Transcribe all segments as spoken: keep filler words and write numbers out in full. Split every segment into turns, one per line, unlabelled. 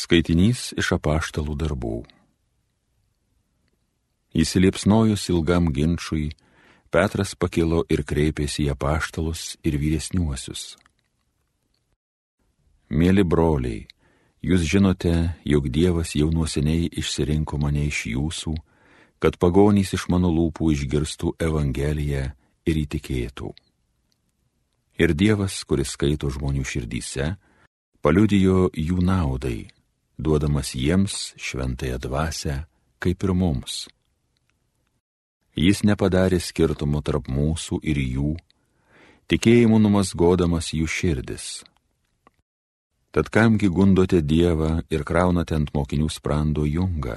Skaitinys iš apaštalų darbų. Įsiliepsnojus ilgam ginčui, Petras pakilo ir kreipėsi į apaštalus ir vyresniuosius. Mėly broliai, jūs žinote, jog Dievas jau nuo seniai išsirinko mane iš jūsų, kad pagonys iš mano lūpų išgirstų Evangeliją ir įtikėtų. Ir Dievas, kuris skaito žmonių širdyse, paliudijo jų naudai, duodamas jiems šventąją dvasią, kaip ir mums. Jis nepadarė skirtumo tarp mūsų ir jų, tikėjimu numazgodamas jų širdis. Tad kamgi gundote Dievą ir kraunate ant mokinių sprando jungą,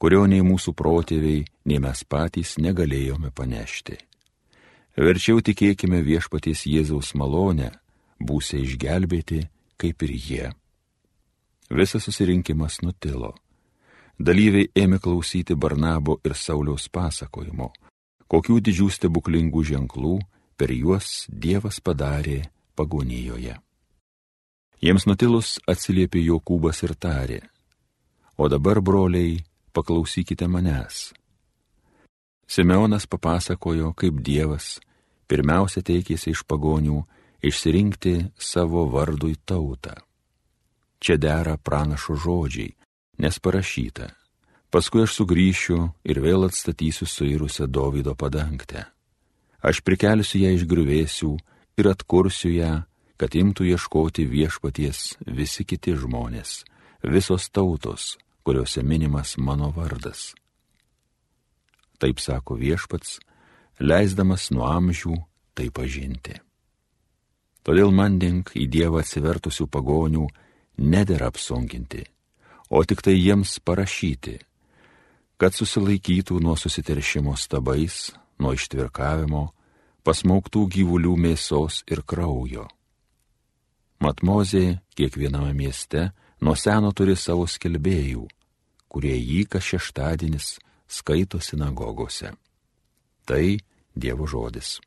kurio nei mūsų protėviai, nei mes patys negalėjome panešti. Verčiau tikėkime viešpaties Jėzaus malonę, būsite išgelbėti, kaip ir jie. Visas susirinkimas nutilo. Dalyviai ėmė klausyti Barnabo ir Sauliaus pasakojimo, kokių didžių stebuklingų ženklų per juos Dievas padarė pagonijoje. Jiems nutilus atsiliepė Jokūbas ir tarė: O dabar, broliai, paklausykite manęs. Simeonas papasakojo, kaip Dievas pirmiausia teikėsi iš pagonių išsirinkti savo vardui tautą. Čia dera pranašo žodžiai, nes parašyta: Paskui aš sugrįšiu ir vėl atstatysiu suirusią Dovydo padangtę. Aš prikelsiu ją iš griuvėsių ir atkursiu ją, kad imtų ieškoti viešpaties visi kiti žmonės, visos tautos, kuriuose minimas mano vardas. Taip sako viešpats, leisdamas nuo amžių tai pažinti. Todėl mandink į Dievą atsivertusių pagonių nedera apsunkinti, o tik tai jiems parašyti, kad susilaikytų nuo susiteršimo stabais, nuo ištvirkavimo, pasmauktų gyvulių mėsos ir kraujo. Mat Mozė kiekviename mieste nuo seno turi savo skelbėjų, kurie jį kas šeštadienis skaito sinagogose. Tai Dievo žodis.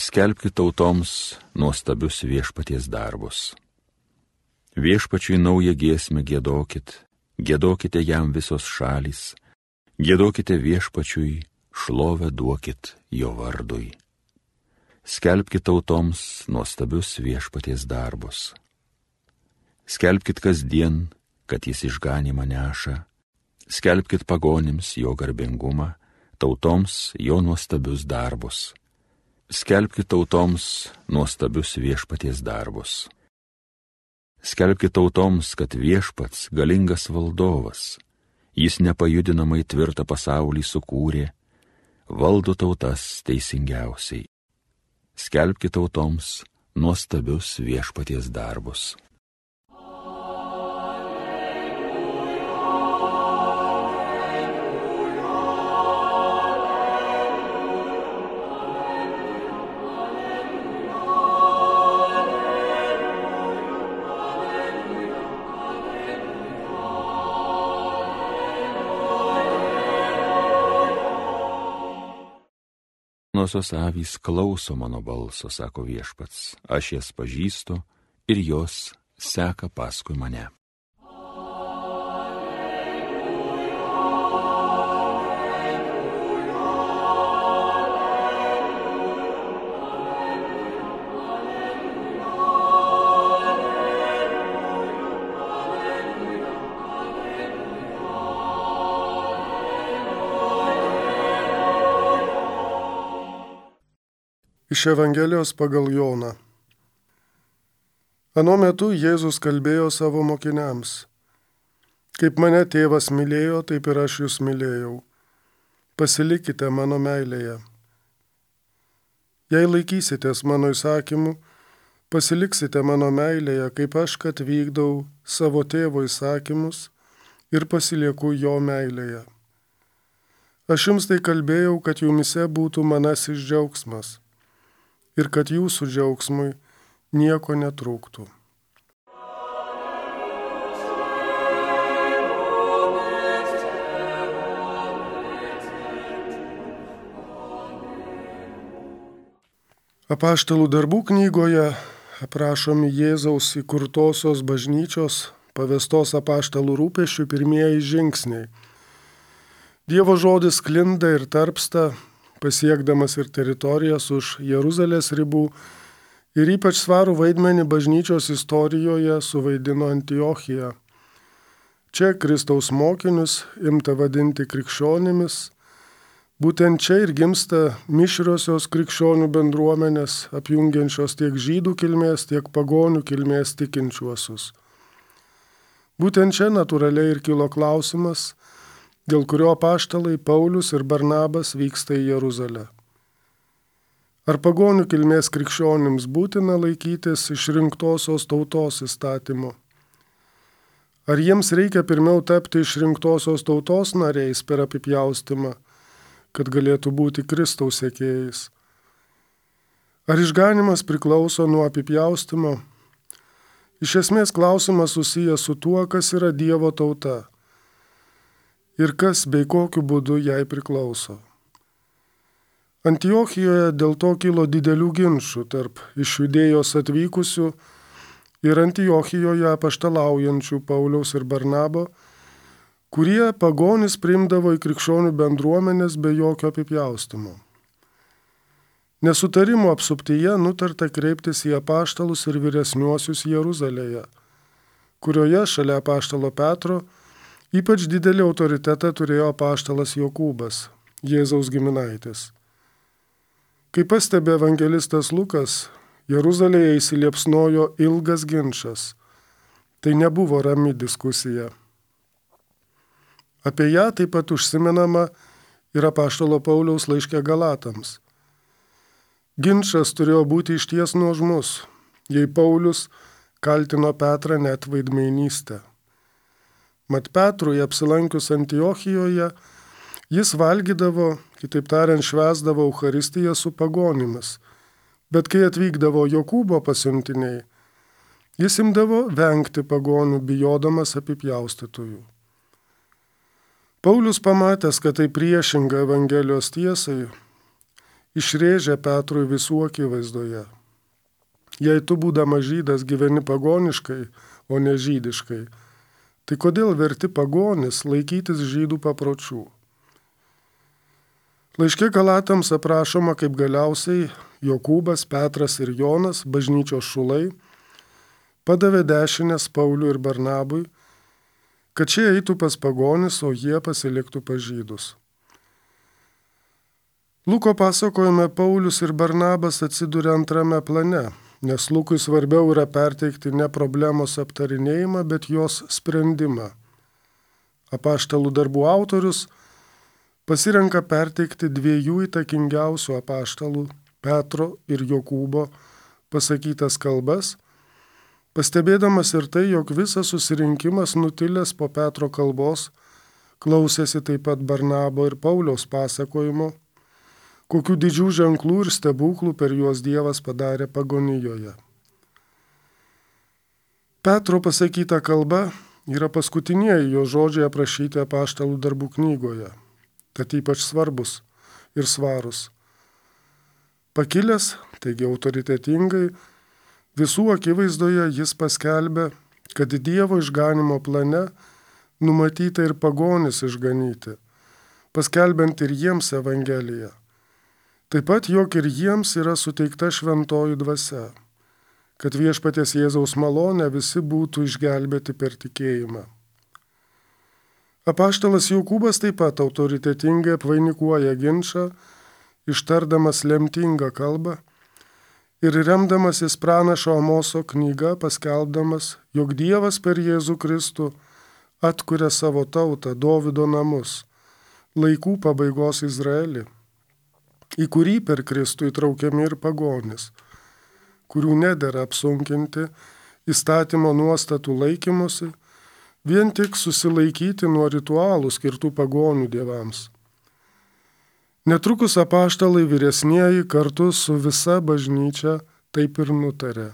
Skelbkit tautoms nuostabius viešpaties darbus. Viešpačiui naują giesmę giedokit, giedokite jam visos šalys, giedokite viešpačiui, šlovę duokit jo vardui. Skelbkit tautoms nuostabius viešpaties darbus. Skelbkit kasdien, kad jis išganymą neša, skelbkit pagonims jo garbingumą, tautoms jo nuostabius darbus. Skelbkit tautoms nuostabius viešpaties darbus. Skelbkit tautoms, kad viešpats galingas valdovas, jis nepajudinamai tvirtą pasaulį sukūrė, valdo tautas teisingiausiai. Skelbkit tautoms nuostabius viešpaties darbus. Senosios avys klauso mano balso, sako viešpats, aš jas pažįstu ir jos seka paskui mane.
Iš Evangelijos pagal Joną. Ano metu Jėzus kalbėjo savo mokiniams: Kaip mane tėvas mylėjo, taip ir aš jūs mylėjau. Pasilikite mano meilėje. Jei laikysitės mano įsakymų, pasiliksite mano meilėje, kaip aš, kad vykdau savo tėvo įsakymus ir pasilieku jo meilėje. Aš jums tai kalbėjau, kad jumise būtų manasis džiaugsmas ir kad jūsų džiaugsmui nieko netrūktų. Apaštalų darbų knygoje aprašomi Jėzaus įkurtosios bažnyčios pavestos apaštalų rūpesčių pirmieji žingsniai. Dievo žodis sklinda ir tarpsta, pasiekdamas ir teritorijas už Jeruzalės ribų, ir ypač svarų vaidmenį bažnyčios istorijoje suvaidino Antiochija. Čia Kristaus mokinius imta vadinti krikščionimis. Būtent čia ir gimsta mišriosios krikščionių bendruomenės, apjungiančios tiek žydų kilmės, tiek pagonių kilmės tikinčiuosius. Būtent čia natūraliai ir kilo klausimas, dėl kurio apaštalai Paulius ir Barnabas vyksta į Jeruzalę. Ar pagonių kilmės krikščionims būtina laikytis išrinktosios tautos įstatymo? Ar jiems reikia pirmiau tapti išrinktosios tautos nariais per apipjaustymą, kad galėtų būti Kristaus sekėjais? Ar išganimas priklauso nuo apipjaustymo? Iš esmės klausimas susijęs su tuo, kas yra Dievo tauta ir kas bei kokiu būdu jai priklauso. Antiochijoje dėl to kilo didelių ginčų tarp iš Judėjos atvykusių ir Antiochijoje apaštalaujančių Pauliaus ir Barnabo, kurie pagonis priimdavo į krikščionių bendruomenės be jokio apipjaustymo. Nesutarimo apsuptyje nutarta kreiptis į apaštalus ir vyresniuosius Jeruzalėje, kurioje šalia apaštalo Petro ypač didelį autoritetą turėjo apaštalas Jokūbas, Jėzaus giminaitis. Kaip pastebi evangelistas Lukas, Jeruzalėje įsiliepsnojo ilgas ginčas. Tai nebuvo rami diskusija. Apie ją taip pat užsimenama ir apaštalo Pauliaus laiške Galatams. Ginčas turėjo būti išties nuožmus, jei Paulius kaltino Petrą net veidmainystę. Mat Petrui apsilankius Antiochijoje, jis valgydavo, kitaip tariant, švęsdavo Eucharistiją su pagonimis, bet kai atvykdavo Jokūbo pasiuntiniai, jis imdavo vengti pagonių, bijodamas apipjaustytųjų. Paulius pamatęs, kad tai priešinga Evangelijos tiesai, išrėžė Petrui visų akivaizdoje. Jei tu būdamas žydas gyveni pagoniškai, o ne žydiškai, tai kodėl verti pagonis laikytis žydų papročių? Laiške Galatams aprašoma, kaip galiausiai Jokūbas, Petras ir Jonas, bažnyčios šulai, padavė dešinės Pauliui ir Barnabui, kad šie eitų pas pagonis, o jie pasiliktų pas žydus. Luko pasakojime Paulius ir Barnabas atsiduria antrame plane, nes Lukui svarbiau yra perteikti ne problemos aptarinėjimą, bet jos sprendimą. Apaštalų darbų autorius pasirenka perteikti dviejų įtakingiausių apaštalų, Petro ir Jokūbo, pasakytas kalbas, pastebėdamas ir tai, jog visas susirinkimas nutilęs po Petro kalbos klausėsi taip pat Barnabo ir Pauliaus pasakojimo, kokių didžių ženklų ir stebuklų per juos Dievas padarė pagonijoje. Petro pasakyta kalba yra paskutinieji jo žodžiai aprašyti apaštalų darbų knygoje, tad ypač svarbus ir svarus. Pakilęs, taigi autoritetingai, visų akivaizdoje jis paskelbė, kad Dievo išganimo plane numatyta ir pagonis išganyti, paskelbiant ir jiems Evangeliją. Taip pat, jog ir jiems yra suteikta šventoji dvasia, kad viešpaties Jėzaus malonę visi būtų išgelbėti per tikėjimą. Apaštalas Jokūbas taip pat autoritetingai apvainikuoja ginčą, ištardamas lemtingą kalbą ir remdamasis pranašo Amoso knyga paskelbdamas, jog Dievas per Jėzų Kristų atkuria savo tautą, Dovydo namus, laikų pabaigos Izraelį, į kurį per Kristų įtraukiami ir pagonis, kurių nedera apsunkinti įstatymo nuostatų laikymusi, vien tik susilaikyti nuo ritualų skirtų pagonių dievams. Netrukus apaštalai vyresnieji kartu su visa bažnyčia taip ir nutarė,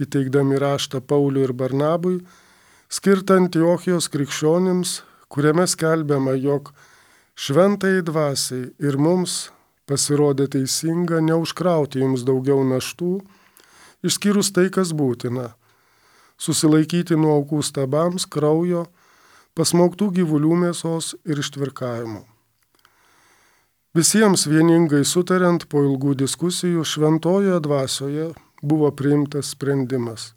įteikdami raštą Pauliui ir Barnabui, skirtą Antiochijos krikščionims, kuriame skelbiama, jog šventai dvasiai ir mums pasirodė teisinga neužkrauti jums daugiau naštų, išskyrus tai, kas būtina – susilaikyti nuo aukų stabams, kraujo, pasmaugtų gyvulių mėsos ir ištvirkavimo. Visiems vieningai sutariant po ilgų diskusijų šventojoje dvasioje buvo priimtas sprendimas.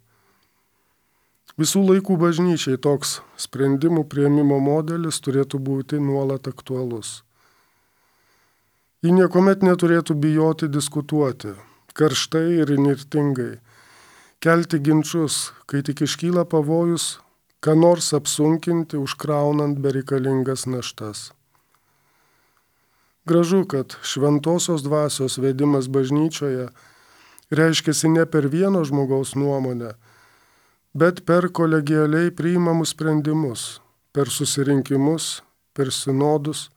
Visų laikų bažnyčiai toks sprendimų priėmimo modelis turėtų būti nuolat aktualus. Ji niekuomet neturėtų bijoti diskutuoti, karštai ir įnirtingai, kelti ginčius, kai tik iškyla pavojus, ką nors apsunkinti, užkraunant bereikalingas naštas. Gražu, kad šventosios dvasios vedimas bažnyčioje reiškiasi ne per vieno žmogaus nuomonę, bet per kolegialiai priimamus sprendimus, per susirinkimus, per sinodus,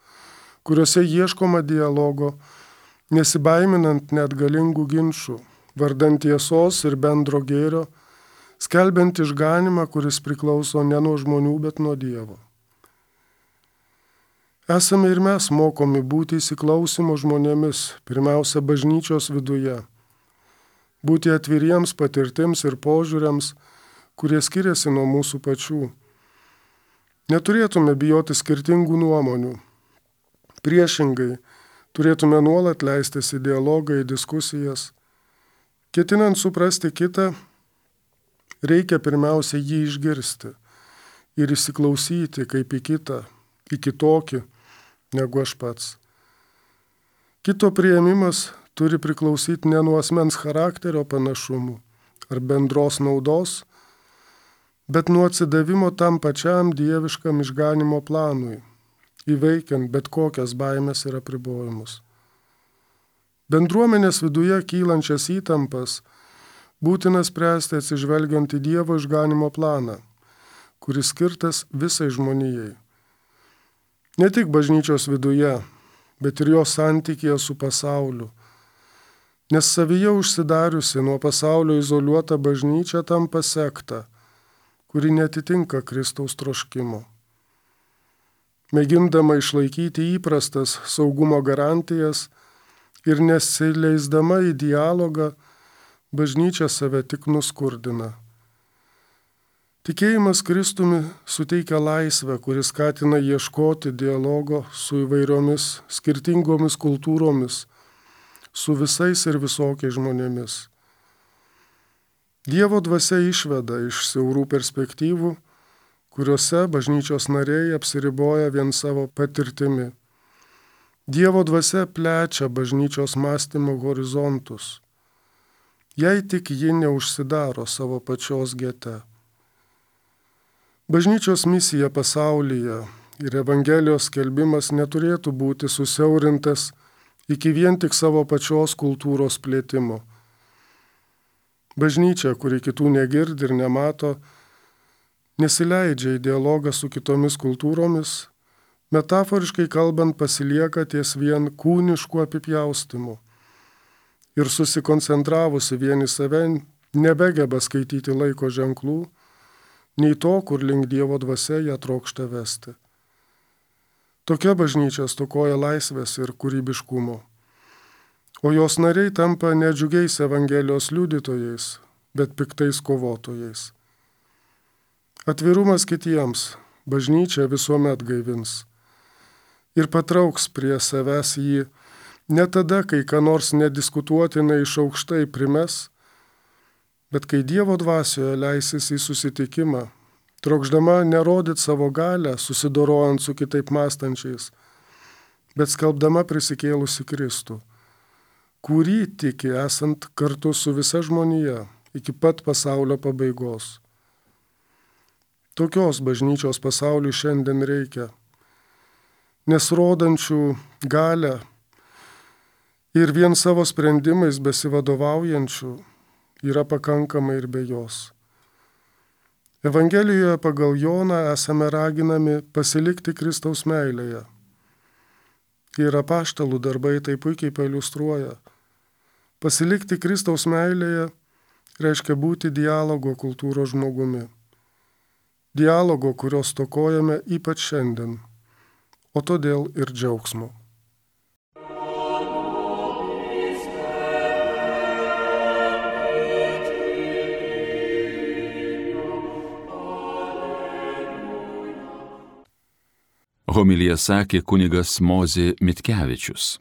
kuriuose ieškoma dialogo, nesibaiminant net galingų ginčių, vardant tiesos ir bendro gėrio, skelbiant išganimą, kuris priklauso ne nuo žmonių, bet nuo Dievo. Esame ir mes mokomi būti įsiklausimo žmonėmis, pirmiausia bažnyčios viduje, būti atviriems patirtims ir požiūriams, kurie skiriasi nuo mūsų pačių. Neturėtume bijoti skirtingų nuomonių. Priešingai, turėtume nuolat leistis į dialogą, į diskusijas. Ketinant suprasti kitą, reikia pirmiausia jį išgirsti ir įsiklausyti kaip į kitą, į kitokį, negu aš pats. Kito priėmimas turi priklausyti ne nuo asmens charakterio panašumų ar bendros naudos, bet nuo atsidavimo tam pačiam dieviškam išganimo planui, įveikiant bet kokias baimės ir apribojimus. Bendruomenės viduje kylančias įtampas būtina spręsti atsižvelgiant į Dievo išganimo planą, kuris skirtas visai žmonijai. Ne tik bažnyčios viduje, bet ir jos santykėje su pasauliu, nes savyje užsidariusi nuo pasaulio izoliuota bažnyčia tampa sekta, kuri netitinka Kristaus troškimo. Mėgindama išlaikyti įprastas saugumo garantijas ir nesileisdama į dialogą, bažnyčia save tik nuskurdina. Tikėjimas Kristumi suteikia laisvę, kuris skatina ieškoti dialogo su įvairiomis skirtingomis kultūromis, su visais ir visokiais žmonėmis. Dievo dvasia išveda iš siaurų perspektyvų, kuriuose bažnyčios nariai apsiriboja vien savo patirtimi. Dievo dvasia plečia bažnyčios mąstymo horizontus, jei tik ji neužsidaro savo pačios gete. Bažnyčios misija pasaulyje ir Evangelijos skelbimas neturėtų būti susiaurintas iki vien tik savo pačios kultūros plėtimo. Bažnyčia, kuri kitų negirdi ir nemato, nesileidžia į dialogą su kitomis kultūromis, metaforiškai kalbant pasilieka ties vien kūniškų apipjaustimų ir susikoncentravusi vien į save nebegeba skaityti laiko ženklų, nei to, kur link Dievo dvasia ją trokšta vesti. Tokia bažnyčia stokoja laisvės ir kūrybiškumo, o jos nariai tampa ne džiugiais Evangelijos liudytojais, bet piktais kovotojais. Atvirumas kitiems bažnyčia visuomet gaivins ir patrauks prie savęs jį ne tada, kai ką nors nediskutuotinai iš aukštai primes, bet kai Dievo dvasioje leisis į susitikimą, trokšdama nerodyti savo galią, susidorojant su kitaip mąstančiais, bet skelbdama prisikėlusi Kristų, kurį tiki esant kartu su visa žmonija iki pat pasaulio pabaigos. Tokios bažnyčios pasauliui šiandien reikia, nes rodančių galią ir vien savo sprendimais besivadovaujančių yra pakankamai ir be jos. Evangelijoje pagal Joną esame raginami pasilikti Kristaus meilėje. Ir apaštalų darbai tai puikiai pailiustruoja. Pasilikti Kristaus meilėje reiškia būti dialogo kultūros žmogumi. Dialogo, kurio stokojame ypač šiandien, o todėl ir džiaugsmo.
Homilija sakė kunigas Mozė Mitkevičius.